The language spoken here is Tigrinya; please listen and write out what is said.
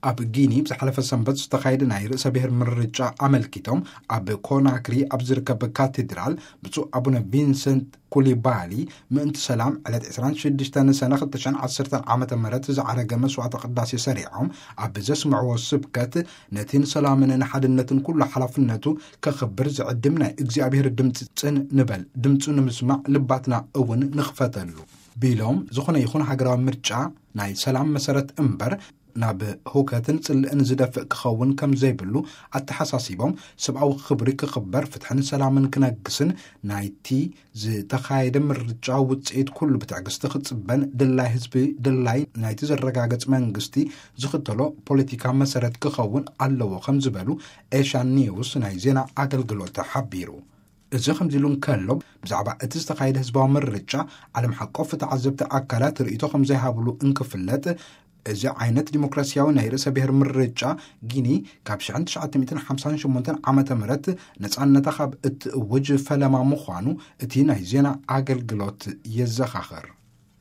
ኣብ ጊኒ ብዝሓለፈ ሰንበት ዝተኻየደ ናይ ርእሰ ብሔር ምርጫ ኣመልኪቶም፣ ኣብ ኮናክሪ ኣብ ዝርከብ ካቴድራል ብፁዕ ኣቡነ ቪንሰንት ኩሊባሊ፣ ምእንቲ ሰላም ዕለት ዕስራን ሽዱሽተን ሰነ ክልተ ሽሕን ዓሰርተን ዓመተ ምህረት ዝዓረገ መስዋዕተ ቅዳሴ ሰሪዖም ኣብ ዘስምዕዎ ስብከት፣ ነቲ ንሰላምን ንሓድነትን ኩሉ ሓላፍነቱ ከኽብር ዝዕድም ናይ እግዚኣብሔር ድምፂ ጽን ንበል፣ ድምፁ ንምስማዕ ልባትና እውን ንኽፈተሉ ቢሎም፣ ዝኾነ ይኹን ሃገራዊ ምርጫ ናይ ሰላም መሰረት እምበር ናብ ሁከትን ጽልእን ዝደፍእ ክኸውን ከም ዘይብሉ ኣተሓሳሲቦም፣ ሰብኣዊ ክብሪ ክኽበር፣ ፍትሕን ሰላምን ክነግስን ናይቲ ዝተኻየደ ምርጫ ውጽኢት ኩሉ ብትዕግስቲ ክጽበን፣ ድላይ ህዝቢ ድላይ ናይቲ ዘረጋገጽ መንግስቲ ዝኽተሎ ፖለቲካ መሰረት ክኸውን ኣለዎ ከም ዝበሉ ኤሻን ኒውስ ናይ ዜና ኣገልግሎት ሓቢሩ። እዚ ከምዚ ኢሉ እንከሎ፣ ብዛዕባ እቲ ዝተኻየደ ህዝባዊ ምርጫ ዓለም ሓቆፍ ተዓዘብቲ ኣካላት ርእይቶ ከም ዘይሃብሉ እንክፍለጥ፣ እዚ ዓይነት ዲሞክራሲያዊ ናይ ርእሰ ብሔር ምርጫ ጊኒ ካብ ሽሕን ትሽዓተ ሚእትን ሓምሳን ሸሞንተን ዓመተ ምህረት ነጻነታ ካብ እትእውጅ ፈለማ ምዃኑ እቲ ናይ ዜና ኣገልግሎት የዘኻኽር።